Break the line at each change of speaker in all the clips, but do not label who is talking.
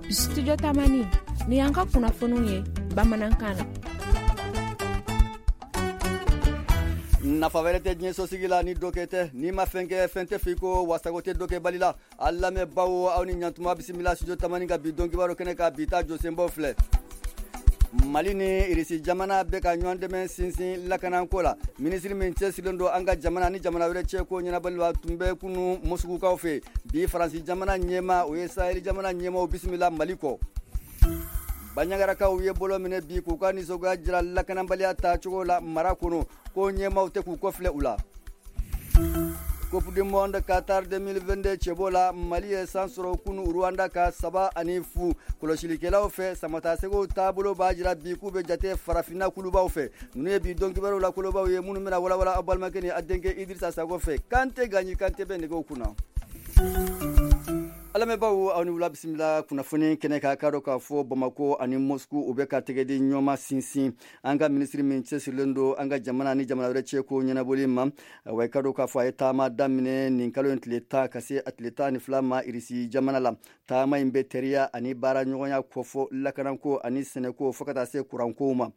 Studio Tamani ni y'an ka kunnafoniw ye bamanankan na.
Nafa wɛrɛ tɛ diɲɛ sosigi la ni dɔkɛ tɛ. N'i ma fɛn kɛ, fɛn tɛ f'i kɔ, wa sago tɛ dɔkɛbali la. A lamɛnbaaw, aw ni ɲantuma, bisimila Studio Tamani ka bi don kibaru kɛnɛ kan. Bi ta jɔsenbaw filɛ: Mali ni Irisi jamana bɛ ka ɲɔgɔn dɛmɛ sinsin lakanako la. Minisiri min cɛsirilen don an ka jamana ni jamana wɛrɛ cɛ ko ɲɛnabɔli la tun bɛ kunu Moskukaw fɛ. Bi, Faransi jamana ɲɛmaa, o ye Saheli jamana ɲɛmaaw bisimila Mali kɔ. Baɲagarakaw ye bolo minɛ bi k'u ka nisɔngoya jira lakanabaliya taacogo la mara kɔnɔ, ko ɲɛmaaw tɛ k'u kɔfilɛ u la. Coupe du monde Qatar 2022 cɛbɔ la, Mali ye san sɔrɔ kunu Rwanda ka 3-0. Kɔlɔsilikɛlaw fɛ, Samatasɛgɛw taabolo b'a jira bi k'u bɛ jate farafinna kulubaw fɛ. Ninnu ye bi don kibaruw la kolobaw ye minnu bɛna walawala aw balimakɛ ni a denkɛ Idrissa Sago fɛ. Kante Ganyi Kante bɛ nɛgɛw kunna. Alamɛnbaaw, aw ni wula, bisimila kunnafoni kɛnɛ kan. K'a dɔn k'a fɔ Bamako ani Moscou, u bɛ ka tɛgɛ di ɲɔgɔn sinsin. An ka minisiri min cɛsirilen don an ka jamana ni jamana wɛrɛ cɛ ko ɲɛnabɔli ma, wa i ka dɔn k'a fɔ a ye taama daminɛ nin kalo in tile 10 ka se a tile 12 ma Irisi jamana la. Taama in bɛ teriya ani baara ɲɔgɔnya kofɔ lakanako ani sɛnɛko, fo ka taa se kurankow ma.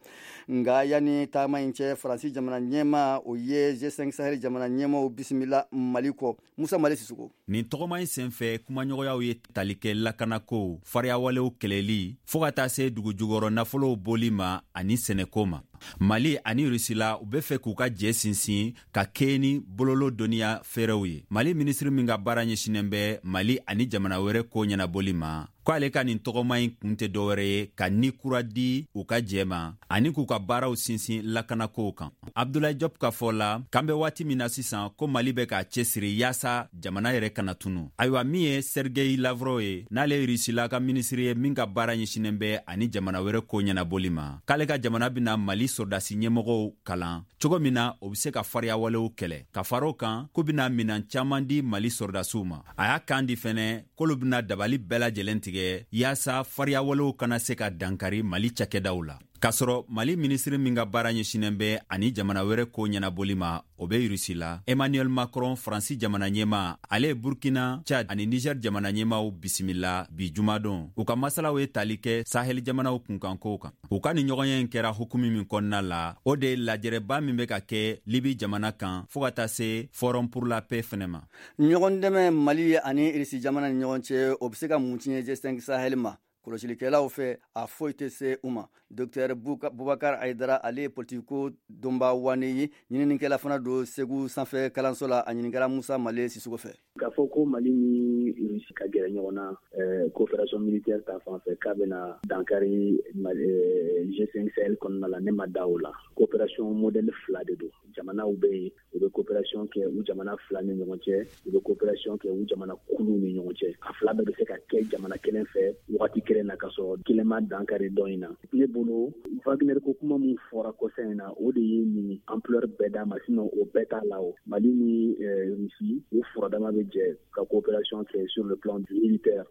Nka yanni taama in cɛ, Faransi jamana ɲɛmaa, o ye G5 Sahel jamana ɲɛmaaw bisimila Mali kɔ. Musa Mali Sisoko.
Nin tɔgɔma in senfɛ, kumaɲɔgɔnyaw ye tali kɛ lakanako, fariyawalew kɛlɛli, fɔɔ ka taa se dugujukɔrɔ nafolow bɔli ma ani sɛnɛko ma. Mali ani Rusila, u be fɛ k'u ka jɛ sinsin ka kɛɲɛ ni bololo dɔnniya fɛɛrɛw ye. Mali minisiri min ka baara ɲɛsinnen bɛ Mali ani jamana wɛrɛ ko ɲɛnabɔli ma, ko ale ka nin tɔgɔma in kun tɛ dɔwɛrɛ ye ka ni kura di u ka jɛ ma ani k'u ka baaraw sinsin lakanakow kan. Abdulayi Jɔp ka fɔ la, k'an bɛ waati min na sisan, ko Mali bɛ k'a cɛsiri yaasa jamana yɛrɛ kana tunu. Ayiwa, min ye Sergei Lavrov ye, n'ale ye Rusila ka minisiri ye min ka baara ɲɛsinnen bɛ ani jamana wɛrɛ ko ɲɛnabɔli ma, k'ale ka jamana bɛna Mali sɔrɔdasi ɲɛmɔgɔw kalan cogo min na o bɛ se ka fariyawalew kɛlɛ. Ka fara o kan, k'u bɛna minan caman di Mali sɔrɔdasiw ma. A y'a kan di fɛnɛ k'olu bɛna dabali bɛɛ lajɛlen tigɛ yaasa fariyawalew kana se ka dankari Mali cakɛdaw la. K'a sɔrɔ Mali minisiri min ka baara ɲɛsinnen bɛ ani jamana wɛrɛ ko ɲɛnabɔli ma, o bɛ Rusi la, Emmanuel Macron, Faransi jamana ɲɛmaa, ale ye Burkina, Chad ani Niger jamana ɲɛmaaw bisimila bi jumadon. U ka masalaw ye tali kɛ Sahel jamanaw kunkankow kan. U ka nin ɲɔgɔnye in kɛra hukumu min kɔnɔna la, o de ye lajɛrɛba min bɛ ka kɛ Libi jamana kan, fɔɔ ka taa se Forum pour la paix fɛnɛ ma.
Ɲɔgɔn dɛmɛ Mali ani Irisi jamana ni ɲɔgɔn cɛ, o bɛ se ka mun tiɲɛ G5 Sahel ma? Kɔlɔsilikɛlaw fɛ, a foyi tɛ se u ma. Docteur Bubakar Ayidara, ale ye politiko dɔnba wane ye, ɲininikɛla fana don Segu sanfɛ kalanso la. A ɲininkara Musa Male Sisoko fɛ.
K'a fɔ ko Mali ni Rusi ka gɛrɛ ɲɔgɔn na coopération militaire ta fan fɛ, k'a bɛna dankari G5 Sahel kɔnɔna la, ne ma da o la. Coopération modèle fila de don. Jamanaw bɛ yen, u bɛ coopération kɛ u jamana fila ni ɲɔgɔn cɛ, u bɛ coopération kɛ u jamana kuluw ni ɲɔgɔn cɛ. A fila bɛɛ bɛ se ka kɛ jamana kelen fɛ wagati kelen na, ka sɔrɔ kelen ma dankari dɔ in na. Ne bolo, Wagner ko kuma min fɔra kɔsa in na, o de ye nin ampleur bɛɛ d'a ma, sinon o bɛɛ t'a la. O Mali ni Russie, u furadama bɛ jɛ ka coopération kɛ sur le plan du militaire.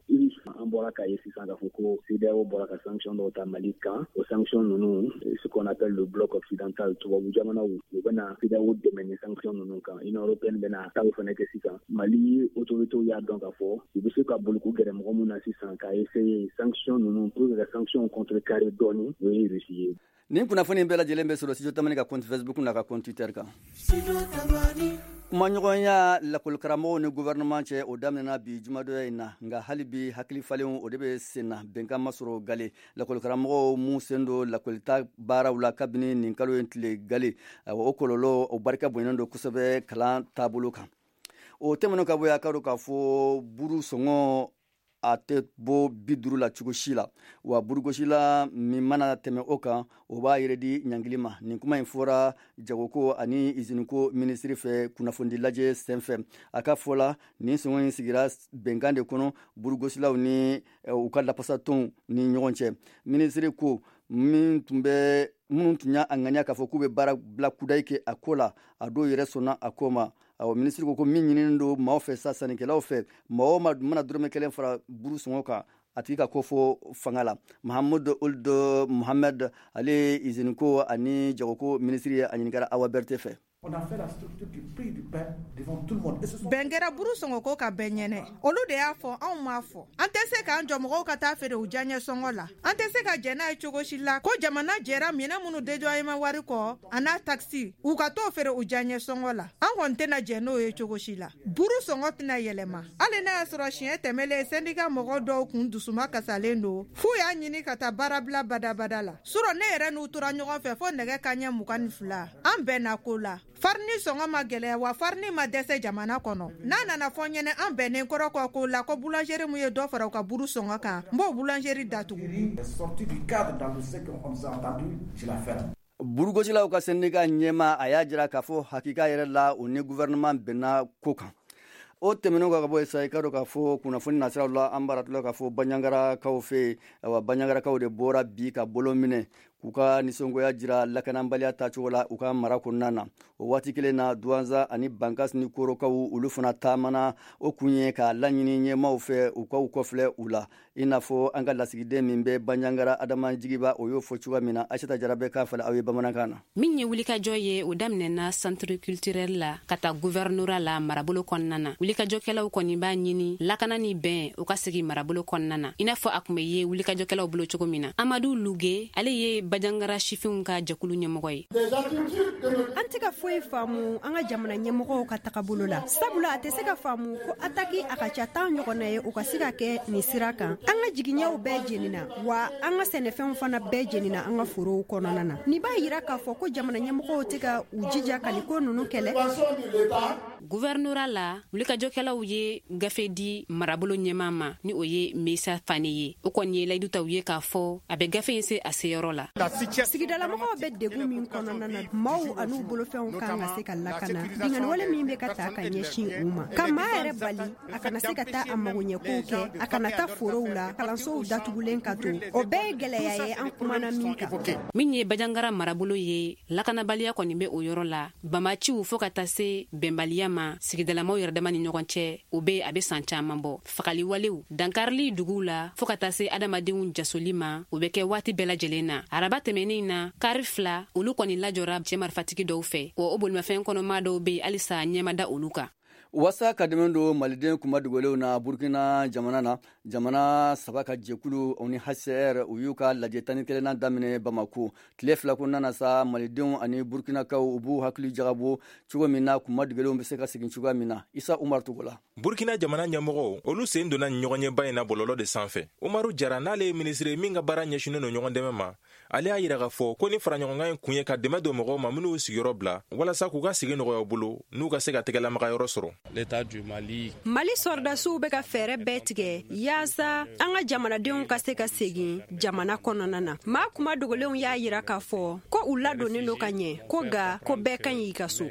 An bɔra k'a ye sisan k'a fɔ ko CEDEAO bɔra ka sanction dɔw ta Mali kan. O sanction ninnu, ce qu'on appelle le bloc occidental, tubabu jamanaw, u bɛna CEDEAO dɛmɛ ni sanction ninnu kan. Union européenne bɛna taw fana kɛ sisan. Mali autorités y'a dɔn k'a fɔ u bɛ se ka boli k'u gɛrɛ mɔgɔ min na sisan k'a essayer sanction ninnu, pour que ka sanction contrecarrer dɔɔni, o ye Russie ye.
Nin kunnafoni bɛɛ lajɛlen bɛ sɔrɔ Studio Tamani ka compte Facebook n'a ka compte Twitter kan. Kumaɲɔgɔnya lakɔlikaramɔgɔw ni gouvernement cɛ, o daminɛna bi jumadonya in na. Nka hali bi, hakili falenw o de bɛ sen na, bɛnkan ma sɔrɔ gale. Lakɔlikaramɔgɔw m'u sen don lakɔlita baaraw la kabini nin kalo in tile gale. O kɔlɔlɔ, o barika bonyanen don kosɛbɛ kalan taabolo kan. O tɛmɛnen ka bɔ yen, a ka dɔn k'a fɔ buru sɔngɔ a tɛ bɔ 50 la cogo si la, wa burugosila min mana tɛmɛ o kan, o b'a yɛrɛ di ɲangili ma. Nin kuma in fɔra jagoko ani iziniko minisiri fɛ kunnafonidi lajɛ senfɛ. A ka fɔ la, nin sɔngɔ in sigira bɛnkan de kɔnɔ burugosilaw ni u ka lafasatɔnw ni ɲɔgɔn cɛ. Minisiri ko min tun bɛ minnu tun y'a ŋaniya k'a fɔ k'u bɛ baara bila kudayi kɛ a ko la, a dɔw yɛrɛ sɔnna a ko ma. Awɔ, minisiri ko min ɲininen don maaw fɛ sa, sannikɛlaw fɛ, maa o maa mana dɔrɔmɛ kelen fara buru sɔngɔ kan, a tigi ka ko fɔ fanga la. Mahamudu Ould Mohamed, ale ye iziniko ani jagoko minisiri ye, a ɲininkara Awa Berete fɛ.
Bɛn kɛra buru sɔngɔko ka bɛn ɲɛnɛ. Olu de y'a fɔ, anw m'a fɔ. An tɛ se k'an jɔ mɔgɔw ka taa feere u diyaɲɛ sɔngɔ la. An tɛ se ka jɛn n'a ye cogo si la ko jamana jɛra minɛn minnu dédouanement wari kɔ a n'a taxe u ka t'o feere u diyaɲɛ sɔngɔ la. An kɔni tɛna jɛn n'o ye cogo si la. Buru sɔngɔ tɛna yɛlɛma. Hali n'a y'a sɔrɔ siɲɛ tɛmɛlen syndicat mɔgɔ dɔw kun dusuma kasalen don f'u y'a ɲini ka taa baarabila badabada la. Surɔ ne yɛrɛ n'u tora ɲɔgɔn fɛ fo nɛgɛ kanɲɛ 22. An bɛnna ko la. Farini sɔngɔ ma gɛlɛya wa farini ma dɛsɛ jamana kɔnɔ. N'a nana fɔ ɲɛnɛ an bɛnnen kɔrɔ kɔ ko la ko boulangerie mun ye dɔ fara u ka buru sɔngɔ kan, n b'o boulangerie datugu.
Burugosilaw ka syndicat ɲɛmaa a y'a jira k'a fɔ hakika yɛrɛ la u ni gouvernement bɛnna ko kan. O tɛmɛnen kɔ ka bɔ yen sa, i ka dɔn k'a fɔ kunnafoni nasiraw la, an b'a tila k'a fɔ Bandiagarakaw fɛ yen. Ayiwa, Bandiagarakaw de bɔra bi ka bolo minɛ k'u ka nisɔngoya jira lakanabaliya taacogo la u ka mara kɔnɔna na. O waati kelen na, Douentza ani Bankass ni Korokaw olu fana taamana. O kun ye k'a laɲini ɲɛmaaw fɛ u k'u kɔfilɛ u la, i n'a fɔ an ka lasigiden min bɛ Bandiagara, Adama Jigiba, o y'o fɔ cogoya min na. Aïssata Jara bɛ k'a fala aw ye bamanankan na.
Min ye wulikajɔ ye, o daminɛna centre culturel la ka taa gouvernorat la marabolo kɔnɔna na. Wulikajɔkɛlaw kɔni b'a ɲini lakana ni bɛn o ka sigi marabolo kɔnɔna na, i n'a fɔ a tun bɛ ye wulikajɔkɛlaw bolo cogo min na. Amadu Luge, ale ye Bandiagara sifinw ka jɛkulu ɲɛmɔgɔ ye.
An tɛ ka foyi faamu an ka jamana ɲɛmɔgɔw ka tagabolo la, sabula a tɛ se ka faamu ko ataki a ka ca 10 ɲɔgɔnna ye, o ka se ka kɛ nin sira kan. An ka jigiɲɛw bɛɛ jenina, wa an ka sɛnɛfɛnw fana bɛɛ jenina an ka forow kɔnɔna na. Nin b'a yira k'a fɔ ko jamana ɲɛmɔgɔw tɛ ka u jija ka nin ko ninnu kɛlɛ.
Gouvernorat la, wulikajɔkɛlaw ye gafe di marabolo ɲɛmaa ma, ni o ye Mesa Fane ye. O kɔni ye layidu taw ye k'a fɔ a bɛ gafe in se a seyɔrɔ la.
Sigidalamɔgɔw bɛ degun min kɔnɔna na, maaw an'u bolofɛnw kan ka se ka lakana. Binkanniwale min bɛ ka ta ka ɲɛsin u ma, ka maa yɛrɛ bali a kana se ka taa a magoɲɛkow kɛ, a kana taa forow la, kalansow datugulen ka to, o bɛɛ ye gɛlɛya ye an kumana min kan.
Min ye Bandiagara marabolo ye, lakanabaliya kɔni bɛ o yɔrɔ la. Bamaciw fo ka taa se bɛnbaliya ma sigidalamaw yɛrɛ dama ni ɲɔgɔn cɛ, o bɛ a bɛ san caman bɔ. Fagaliwalew, dankarili duguw la fo ka taa se adamadenw jasoli ma, o bɛ kɛ waati bɛɛ lajɛlen na. Araba tɛmɛnen na, kari 2 olu kɔni lajɔra cɛ marifatigi dɔw fɛ, wa o bolimafɛn kɔnɔmaa dɔw bɛ yen halisa ɲɛmada olu kan.
Waasa ka dɛmɛ don maliden kunmadogolenw na Burkina jamana na, jamana saba ka jɛkulu o ni HCR u y'u ka lajɛ 11nan daminɛ Bamako. Tile 2 kɔnɔna na sa, malidenw ani burkinakaw u b'u hakili jagabɔ cogo min na kunmadogolenw bɛ se ka segin cogoya min na. Isa Umar Togola.
Burkina jamana ɲɛmɔgɔw olu sen donna ɲɔgɔnɲɛba in na bɔlɔlɔ de sanfɛ. Umaru Jara, n'ale ye minisiri min ka baara ɲɛsinnen don ɲɔgɔn dɛmɛ ma, ale y'a yira k'a fɔ ko ni faraɲɔgɔnkan in kun ye ka dɛmɛ don mɔgɔw ma minnu y'u sigiyɔrɔ bila, walasa k'u ka sigi nɔgɔya u bolo n'u ka se ka tɛgɛlamagayɔrɔ sɔrɔ.
Mali sɔrɔdasiw bɛ ka fɛɛrɛ bɛɛ tigɛ yaasa an ka jamanadenw ka se ka segin jamana kɔnɔna na. Maa kuma dogolenw y'a yira k'a fɔ ko u ladonnen don ka ɲɛ, ko nka ko bɛɛ ka ɲi i ka so.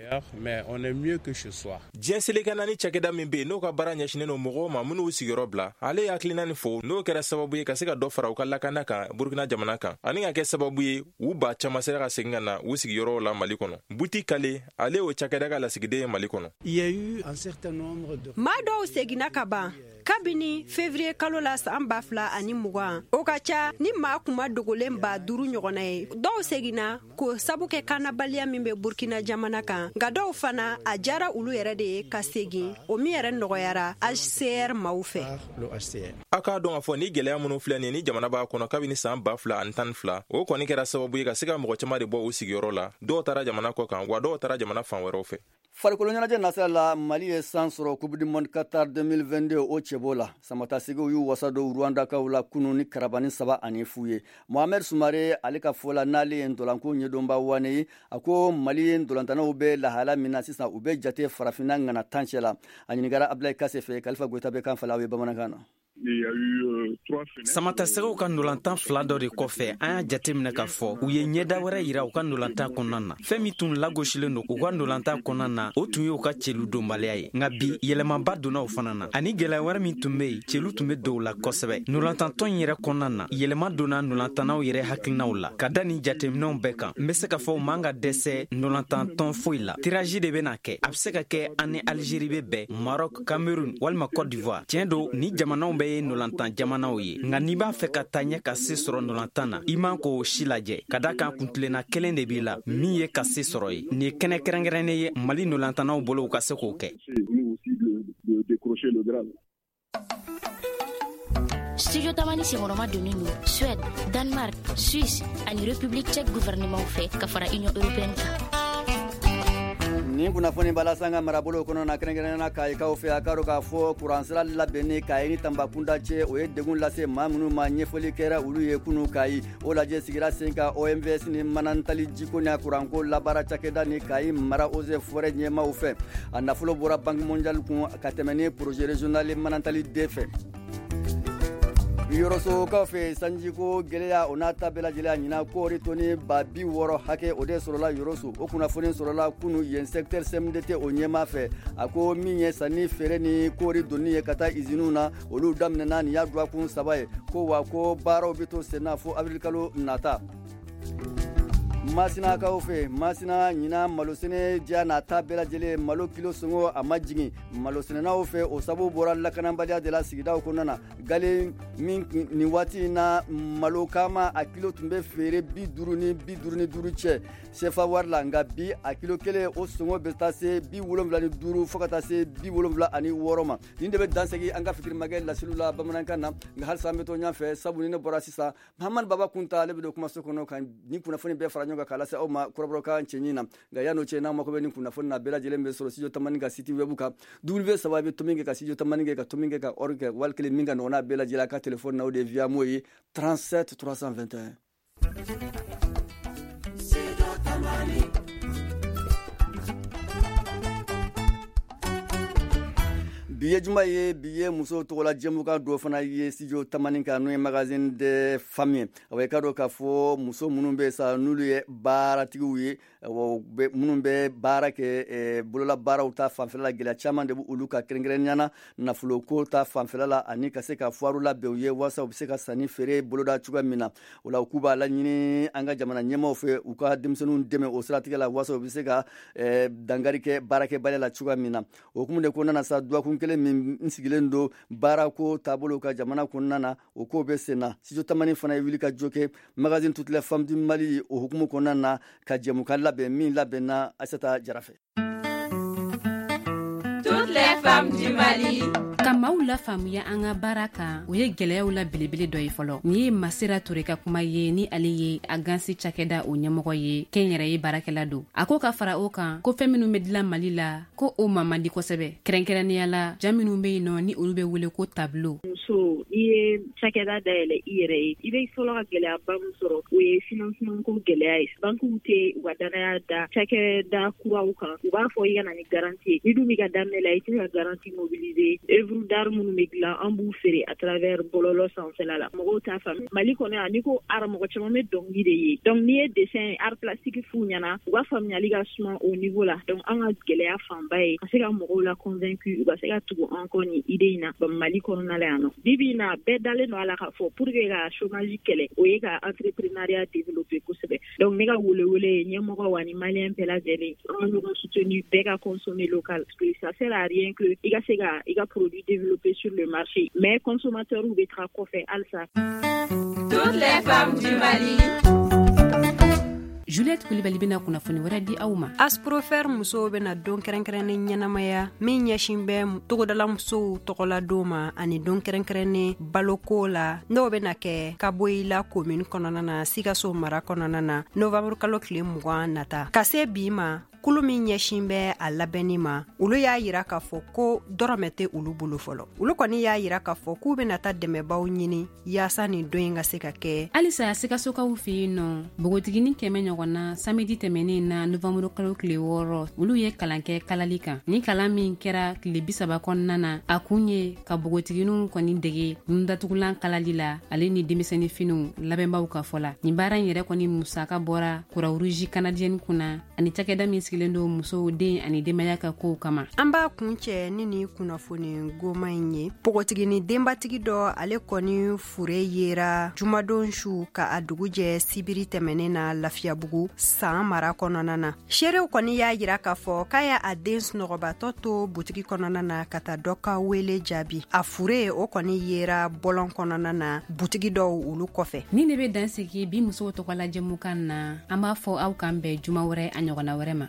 Diɲɛ seleke naani cakɛda min bɛ yen n'o ka baara ɲɛsinnen don mɔgɔw ma minnu y'u sigiyɔrɔ bila, ale ye hakilina nin fɔ, n'o kɛra sababu ye ka se ka dɔ fara u ka lakana kan Burkina jamana kan, ani ka kɛ sababu ye u ba caman sera ka segin ka na u sigiyɔrɔw la Mali kɔnɔ. Buti Kale, ale y'o cakɛda ka lasigiden ye Mali kɔnɔ.
Maa dɔw seginna ka ban kabini février kalo la san 2020, o ka ca ni maa kuma dogolen 5000 ɲɔgɔnna ye. Dɔw seginna k'o sabu kɛ kanabaliya min bɛ Burkina jamana kan, nka dɔw fana a diyara olu yɛrɛ de ye ka segin, o min yɛrɛ nɔgɔyara HCR maaw fɛ.
A k'a dɔn k'a fɔ ni gɛlɛya minnu filɛ nin ye ni jamana b'a kɔnɔ kabini san 2012, o kɔni kɛra sababu ye ka se ka mɔgɔ caman de bɔ u sigiyɔrɔ la. Dɔw taara jamana kɔ kan, wa dɔw taara jamana fan wɛrɛw fɛ.
Farikolo ɲɛnajɛ nasira la, Mali ye san sɔrɔ Coupe du monde Qatar 2022 o cɛbɔ la. Samatasegiw y'u wasa don Rwandakaw la kunun ni karabani 3-0 ye. Mohamed Sumare, ale ka fɔ la, n'ale ye ntolanko ɲɛdɔnba wane ye, a ko Mali ye ntolantanaw bɛ lahala min na sisan, u bɛ jate farafinna ŋana 10 cɛ la. A ɲininkara Abdoulaye Kase fɛ. Kalifa Goyita bɛ kan fala aw ye bamanankan na.
Samatasɛgɛw ka ndolantan 2 dɔ de kɔfɛ, an y'a jateminɛ k'a fɔ u ye ɲɛda wɛrɛ yira u ka ndolantan kɔnɔna na. Fɛn min tun lagosilen don u ka ndolantan kɔnɔna na, o tun y'u ka celu donbaliya ye, nka bi yɛlɛmaba donna o fana na. Ani gɛlɛya wɛrɛ min tun bɛ yen, celu tun bɛ don u la kosɛbɛ. Ndolantantɔn in yɛrɛ kɔnɔna na, yɛlɛma donna ndolantannaw yɛrɛ hakilinaw la. Ka da nin jateminɛw bɛɛ kan, n bɛ se k'a fɔ u man ka dɛsɛ ndolantantɔn foyi la. Tirage de bɛna kɛ, a bɛ se ka kɛ an ni Algérie bɛ bɛn, Maroc, Cameroun walima Côte d'Ivoire. Tiɲɛ don, ni jamanaw bɛɛ bɛɛ ye ndolantan jamanaw ye, nka n'i b'a fɛ ka taa ɲɛ ka se sɔrɔ ndolantan na, i man k'o si lajɛ, ka da kan kuntilenna kelen de b'i la, min ye ka se sɔrɔ ye. Nin ye kɛnɛ kɛrɛnkɛrɛnnen ye Mali ndolantannaw bolo u ka se k'o kɛ.
Studio Tamani senkɔrɔma donnen don Suède, Danemark, Suisse ani République tchèque gouvernement fɛ ka fara Union européenne kan.
Nin kunnafoni b'a lase an ka marabolo kɔnɔ na, kɛrɛnkɛrɛnnenya na Kayikaw fɛ. A k'a dɔn k'a fɔ kuransira labɛnni Kayi ni Tanbakunda cɛ, o ye degun lase maa minnu ma, ɲɛfɔli kɛra olu ye kunu Kayi. O lajɛ sigira sen kan OMVS ni Manantali jiko ni kuranko labaara cakɛda ni Kayi mara eaux et forêts ɲɛmaaw fɛ. A nafolo bɔra Banque mondiale kun ka tɛmɛ ni projet régional Manantali D fɛ. Yɔrɔsokaw fɛ, sanjiko gɛlɛya, o n'a ta bɛɛ lajɛlen, ɲinan kɔɔri tɔni 60 000 hakɛ, o de sɔrɔla Yɔrɔso. O kunnafoni sɔrɔla kunu yen secteur CMDT o ɲɛmaa fɛ. A ko min ye sanni feere ni kɔɔri donni ye ka taa iziniw na, olu daminɛna nin y'a dɔgɔkun 3 ye. Ko wa ko baaraw bɛ to senna fo avril kalo nata. Masinakaw fɛ, Masina, ɲinan malosɛnɛ diya n'a ta bɛɛ lajɛlen, malo kilo sɔngɔ a ma jigin malosɛnɛnaw fɛ. O sababu bɔra lakanabaliya de la sigidaw kɔnɔna na. Gale min nin waati in na, malo kama a kilo tun bɛ feere 50 ni 55 cɛ sefa wari la, nka bi a kilo kelen o sɔngɔ bɛ taa se 75 fo ka taa se 76 ma. Nin de bɛ dansegi an ka fitirimakɛ laseliw la bamanankan na, nka halisa an bɛ to ɲɛfɛ, sabu ni ne bɔra sisan, Mahamadu Baba Kunta, ale bɛ don kumaso kɔnɔ ka nin kunnafoni bɛɛ fara ɲɔgɔn kan k'a lase aw ma kɔrɔbɔrɔkan cɛɲi na. Nka yan'o cɛ, n'aw mako bɛ nin kunnafoni na bɛɛ lajɛlen bɛ sɔrɔ Studio Tamani ka site web kan, W saba bɛ tomi kɛ ka Studio Tamani kɛ ka tomi kɛ ka org kɛ. Wali kelen min ka nɔgɔn n'a bɛɛ lajɛlen, a ka telefɔni na, o de ye Viamo ye, 37 321. Bi ye juma ye, bi ye musow tɔgɔla jɛmukan dɔ fana ye Studio Tamani kan, n'o ye magazine des femmes ye. Awa, i ka dɔn k'a fɔ muso minnu bɛ sa, n'olu ye baaratigiw ye, minnu bɛ baara kɛ bololabaaraw ta fanfɛla la, gɛlɛya caman de bɛ olu ka, kɛrɛnkɛrɛnnenya na nafoloko ta fanfɛla la, ani ka se ka fuwaru labɛn u ye walasa u bɛ se ka sanni feere boloda cogoya min na. O la, u k'u b'a laɲini an ka jamana ɲɛmaaw fɛ, u ka denmisɛnninw dɛmɛ o siratigɛ la, walasa u bɛ se ka dankari kɛ baarakɛbaliya la cogoya min na. O hukumu de kɔnɔna na sa, dɔgɔkun kelen min n sigilen don baarako taabolo ka jamana kɔnɔna na, o ko bɛ sen na. Studio Tamani fana ye wuli ka jɔ kɛ magazine Toutes les femmes du Mali o hukumu kɔnɔna na ka jɛmukan labɛn min labɛnna Aissata Jara fɛ.
Toutes les femmes du Mali.
Ka maaw lafaamuya an ka baara kan, o ye gwɛlɛyaw la belebele dɔ ye fɔlɔ. Nin ye Masira Ture ka kuma ye, ni ale ye a gansi cakɛda o ɲɛmɔgɔ ye, kɛn yɛrɛ ye baarakɛla don. A ko ka fara o kan ko fɛn minw be dilan Mali la, ko o ma man di kosɛbɛ, kɛrɛnkɛrɛnnenya la ja minw be yen nɔ ni olu be wele ko tableau.
Muso, n'i ye cakɛda dayɛlɛ i yɛrɛ ye, i bɛ fɔlɔ ka gɛlɛyaba min sɔrɔ, o ye financement ko gɛlɛya ye. Bankiw tɛ u ka danaya da cakɛda kuraw kan. U b'a fɔ i ka na ni garantie ye. Ni dun b'i ka daminɛ la, i tɛ se ka garantie mobiliser. Œuvre d'art minnu bɛ dilan, an b'u feere à travers bɔlɔlɔ sanfɛla la, mɔgɔw t'a faamu. Mali kɔnɔ yan, n'i ko art, mɔgɔ caman bɛ dɔnkili de ye. Donc n'i ye dessin, art plastique f'u ɲɛna, u ka faamuyali ka suma au niveau la. Donc an ka gɛlɛya fanba ye ka se ka mɔgɔw la convaincu, u ka se ka tugu an kɔ nin idée in na Mali kɔnɔna la yan nɔ. Bi bi in na, bɛɛ dalen don a la k'a fɔ pour que ka chômage kɛlɛ, o ye ka entrepreneuriat développer kosɛbɛ. Donc ne ka welewele ye ɲɛmɔgɔw ani malien bɛɛ lajɛlen, an ka ɲɔgɔn soutenir, bɛɛ ka consommer local, parce que ça sert à rien que i ka se ka i ka produit développer sur le marché, mais consommateurs bɛ taga kɔfɛ halisa.
Toutes les femmes du Mali.
Juliette Kulibali bɛna kunnafoni wɛrɛ di aw ma.
Asprofer musow bɛna don kɛrɛnkɛrɛnnen ɲɛnamaya min ɲɛsin bɛ togodala musow tɔgɔla don ma, ani don kɛrɛnkɛrɛnnen baloko la, n'o bɛna kɛ Kaboyila komini kɔnɔna na, Sikaso mara kɔnɔna na, novanburu kalo tile 20 nata. Ka se bi ma, kulu min ɲɛsin bɛ a labɛnni ma, olu y'a yira k'a fɔ ko dɔrɔmɛ tɛ olu bolo fɔlɔ. Olu kɔni y'a yira k'a fɔ k'u bɛna taa dɛmɛbaw ɲini yaasa nin don in ka se ka kɛ.
Halisa Sikasokaw fɛ yen nɔ, npogotiginin 100 ɲɔgɔn na, samedi tɛmɛnen na, novanburu kalo tile 6, olu ye kalan kɛ kalali kan. Ni kalan min kɛra tile 30 kɔnɔna na, a kun ye ka npogotigininw kɔni dege nundatugulan kalali la, ale ni denmisɛnnin finiw labɛnbaw ka fɔ la. Nin baara in yɛrɛ kɔni musaka bɔra Croix Rouge canadienne kunna ani cakɛda min. sigilen don musow, den ani denbaya ka kow kama.
An b'a kuncɛ ni ni kunnafoni goma in ye. Npogotigini denbatigi dɔ, ale kɔni fure yera jumadon su ka a dugu jɛ sibiri tɛmɛnen na Lafiyabugu San mara kɔnɔna na. Seerew kɔni y'a yira k'a fɔ k'a y'a a den sunɔgɔbatɔ to butigi kɔnɔna na ka taa dɔ ka wele jaabi. A fure o kɔni yera bɔlɔn kɔnɔna na, butigi dɔw olu kɔfɛ.
Nin de bɛ dan sigi bi musow tɔgɔla jɛmukan na. An b'a fɔ aw k'an bɛn juma wɛrɛ, a ɲɔgɔnna wɛrɛ ma.